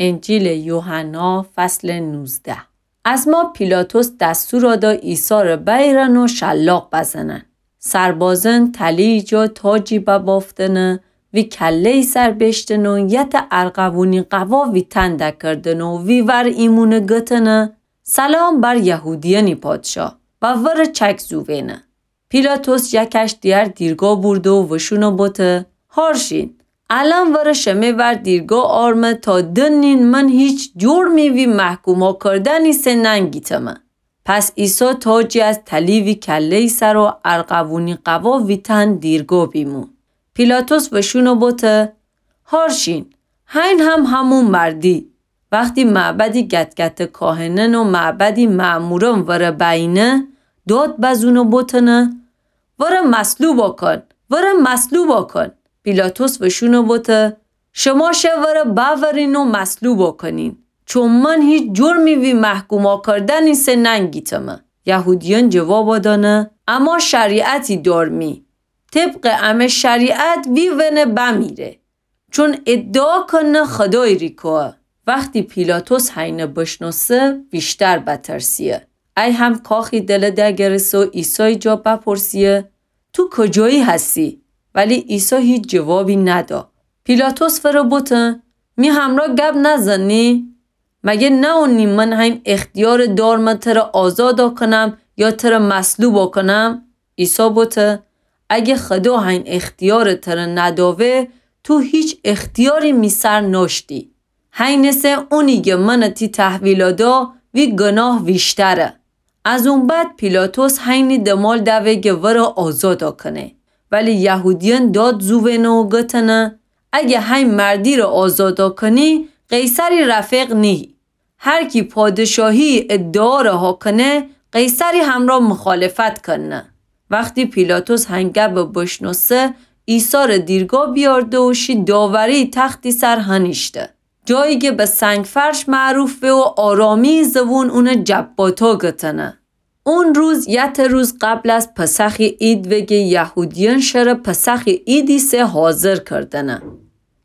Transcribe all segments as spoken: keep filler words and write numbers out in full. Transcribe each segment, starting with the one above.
انجیلٚ یوحنا، فصلٚ نوزده. ازما پیلاطس دستور داد عیسی ره بیرن و شلاق بزنن. سربازأن تلی‌یٚ جا تاجی ببافتنه، وی کله‌یٚ سر بیشتنه و یته ارغوونی قوا وی تن دکردنه و وی ور ایمونه گتنه: سلام بر یهودیأنی پادشاه، و وره چک زووینه. پیلاطس یکش دیگر دیرگاه بورده و وشونه بوته: هارشین، الأن وره شمه ور دیرگاه آرمه تا دنین من هیچ جرمی وی محکوما کردنی سه ننگیتمه. پس عیسی تاجی از تلی وی کله‌یٚ سر و ارغوونی قوا وی تن دیرگاه بیمو. پیلاطس وشونه بوته: هارشین، هین هم همون مردی. وختی معبدی گتگته کاهنأن و معبدی مأمورأن وره بأیینه، داد بزونه بوتنه: وره مصلوبا کن، وره مصلوبا کن. پیلاطس وشونه بوته: شما شه وره بأورین و مصلوبا کنین، چون من هیچ جرمی وی محکوما کردنی سه ننگیتمه. یهودیأن جوابا دأنه: اما شریعتی دارمی، طبقٚ امه شریعت وی ونه بمیره، چون ادعا کنه خدایٚ ریکاه. وختی پیلاطس هینه بشنوسه، ویشتر بترسیه. ای هم کاخی دله دگرسه و عیسایٚ جا بپرسیه: تو کجایی هستی؟ ولی عیسی هیچ جوابی ندا. پیلاطس وره بوته: می همرا گب نزنی؟ مگه نأونی من هین اختیار دارمه تره آزادا کنم یا تره مصلوبا کنم؟ عیسی بوته: اگه خدا هین اختیار تره نداوه، تو هیچ اختیاری می سر ناشتی. هینه سه اونی گه من تی تحویلا دا، وی گناه ویشتره. از اون بعد پیلاطس هینی دمال دوه گه وره آزادا کنه. ولی یهودیأن داد زووینه و گتنه: اگه هین مردی ره آزادا کنی، قیصری رفیق نیهی. هر کی پادشاهی ادعا ره ها کنه، قیصری همرا مخالفت کنه. وختی پیلاطس هین گب بشنوسه، عیسی ره دیرگاه بیارده و شی داوری تختی سر هنیشته. جایی گه به سنگ‌فرش معروف به و آرامی زوون اونه جباتا گتنه. اون روز یته روز قبل از پسخی عید وگه یهودیأن شره پسخی عیدی سه حاضر کردنه.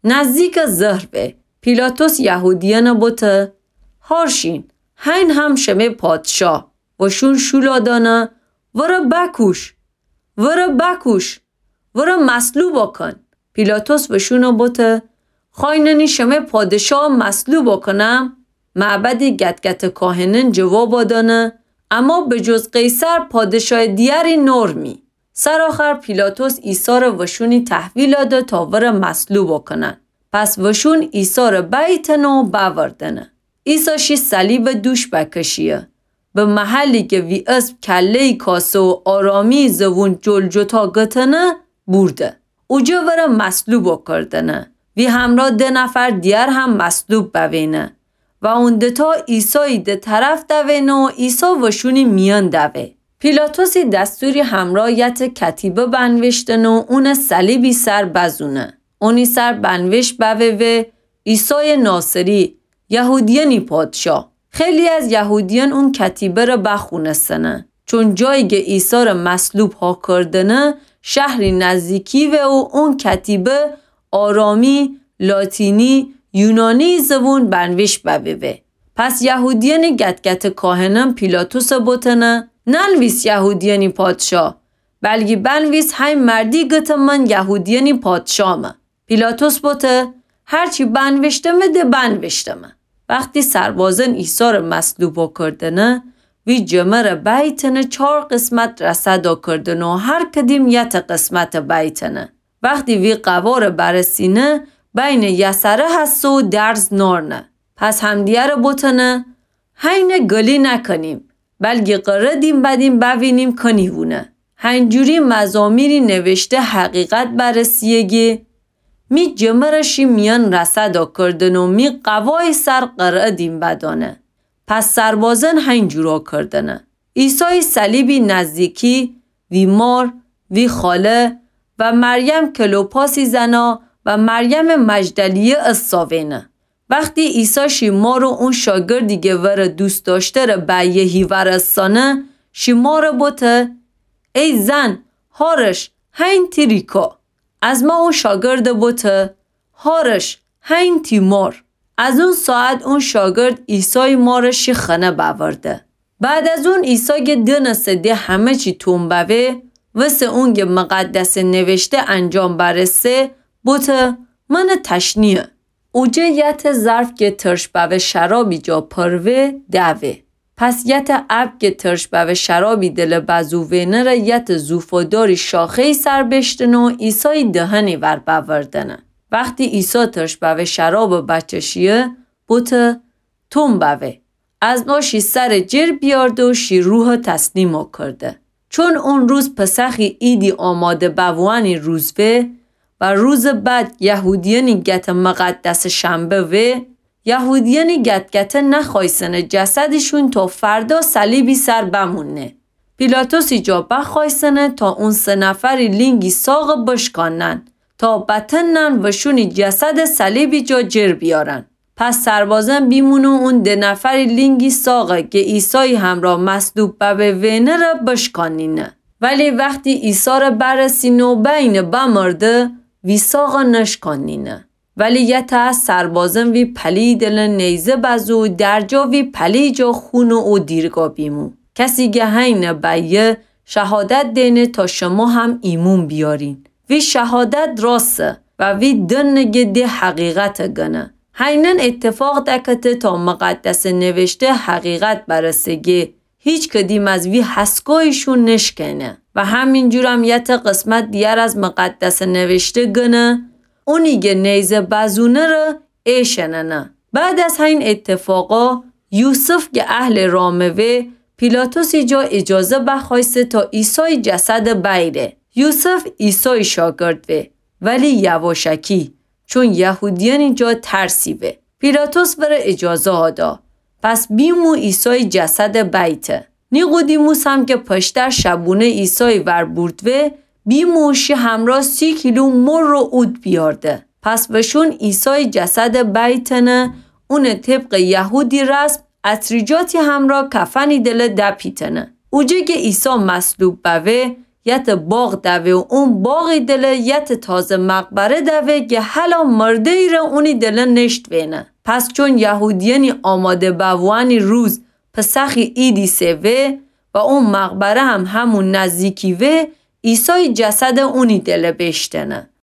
نزدیک ظهر وه، پیلاطس یهودیأنه بوته: هارشین، هین هم شمه پادشاه. وشون شولا دأنه: وره بکوش، وره بکوش، وره مصلوبا کن. پیلاطس وشونه بوته: خوأیننی شمه پادشاه مصلوبا کنم؟ معبدی گتگته کاهنأن جوابا دأنه: اما به جز قیصر پادشاه دیگری نارمی. سرآخر پیلاطس عیسی ره وشونی تحویلا ده تا وره مصلوبا کنن. پس وشون عیسی ره بیتنه و بأوردنه. عیسی شی صلیبٚ دوش بکشیه. به محلی گه وی اسم کله‌یٚ کاسه و آرامی زوون جلجتا گتنه بورده. اوجه وره مصلوبا کردنه. وی همرا ده نفر دیگر هم مصلوب بوینه و اون دتا عیسایٚ ده طرف دوینه و عیسی وشونی میأن دوه. پیلاطسی دستوری همرا یته کتیبه بنوشتنه و اونٚ صلیبی سر بزونه. اونی سر بنوشت بوه وه: عیسایٚ ناصری، یهودیأنی پادشاه. خیلی از یهودیأن اون کتیبه ره بخونستنه، چون جایی گه عیسی ره مصلوب ها کردنه، شهری نزدیکی وه و اون کتیبه آرامی، لاتینی، یونانی زوون بنوشت بوه وه. پس یهودیأنٚ گتگته کاهنأن پیلاطسه بوتنه: ننویس یهودیأنی پادشاه، بلکی بنویس هی مردی گته من یهودیأنی پادشاهمه. پیلاطس بوته: هرچی بنوشتمه ده بنوشتمه. وختی سربازأن عیسی ره مصلوبا کردنه، وی جمه ره بیتنه چار قسمت رسدا کردنه و هر کدیم یته قسمته بیتنه. وختی وی قواره برسینه، بینٚ یسره هسه و درز نارنه. پس همدیگره بوتنه: هینه گلی نکنیم، بلکی قره دیم بدیم بوینیم کنی وونه. هینجوری مزامیری نوشته حقیقت برسیه گی: می جمه ره شی میأن رسدا کردنه و می قوایٚ سر قره دیم بدانه. پس سربازأن هینجورا کردنه. عیسایٚ صلیبی نزدیکی، وی مار، وی خاله و مریم کلوپاسٚ زنا و مریمٚ مجدلیه اساوینه. وختی عیسی شی مار و اون شاگردی گه وره دوست دأشته ره بأیه هیور اسانه، شی ماره بوته: ای زن، هارش، هین تی ریکا. از ما او شاگرده بوته: هارش، هین تی مار. از اون ساعت اون شاگرد عیسایٚ مارَ شی خانه بأورده. بعد از اون عیسی گه دأنسته ده همه چی توم بأوه، وسه اونگه مقدسٚ نوشته انجام برسه، بوته: منٚ تشنه‌یه. اوجه یتٚ ظرف گه ترش بأوه شرابی جا پر وه، دوه. پس یتٚ ابگ گه ترش بأوه شرابی دلٚ بزو وینه ره یتٚ زوفاداری شاخه‌یی سر بیشتنه و عیسایٚ دهنی ور بأوردنه. وختی عیسی ترش بأوه شرابٚ بچشیه، بوته: توم بأوه. از نو شی سرٚ جر بیارده و شی روحَ تسلیمَ کرده. چون اون روز پسخی عیدی آماده بووأنی روز وه و روزٚ بعد یهودیأنی گتٚ مقدسٚ شنبه وه، یهودیأنی گت‌گته نخوأیسنه جسدیشون تا فردا صلیبی سر بموننه. پیلاطسی جا بخوأیسنه تا اون سه نفری لینگی ساقَ بشکانن تا بتنن وشونی جسدَ صلیبی جا جر بیارن. پس سربازأن بیمون و اون ده نفری لینگی ساقَ گه عیسایٚ همرأ مصلوب ببه وینه ره بشکانینه. ولی وختی عیسی ره برسینه و بأیینه بمرده، وی ساقَ نشکانینه. ولی یتأ از سربازأن وی پلیٚ دلٚ نیزه بزو و درجا وی پلیٚ جا خونٚ او دیرگا بیمو. کسی گه هینه بأیه شهادت دینه تا شمو هم ایمون بیارین. وی شهادت راسه و وی دنه گه ده حقیقتَ گنه. هینأن ایتفاق دکته تا مقدسٚ نوشته حقیقت برسه گه هیچ کدیم از وی هسکوییشون نشکئنه. و همینجورم یتأ قسمت دیگر از مقدسٚ نوشته گنه، اونی گه نیزه بزونه ره ایشأننه. بعد از هین ایتفاقا یوسف گه اهلٚ رامه وه، پیلاطسی جا ایجازه بخوأیسته تا عیسایٚ جسدَ بأیره. یوسف عیسایٚ شاگرد وه، ولی یواشکی، چون یهودیأنی جا ترسی وه. پیلاطس وره ایجازه آدا. پس بیمو عیسایٚ جسدَ بأیته. نیقودیموس هم که پشتر شبونه عیسایٚ ور بورد وه، بیمو شی همرأ سی کیلو مر و عود بیارده. پس وشون عیسایٚ جسدَ بأیتنه، اونَ طبقٚ یهودی رسم عطریجاتی همرأ کفنی دله دپیتنه. اوجه گه عیسی مصلوب بوه، یتأ باغ دوه و اون باغی دله یتأ تازه مقبره دوه گه هلا مرده‌یی ره اونی دله نشت وینه. پس چون یهودیأنی آماده بووأنی روز پسخی عیدی سئ وه و اون مقبره هم همون نزدیکی وه، عیسایٚ جسدَ اونی دله بیشتنه.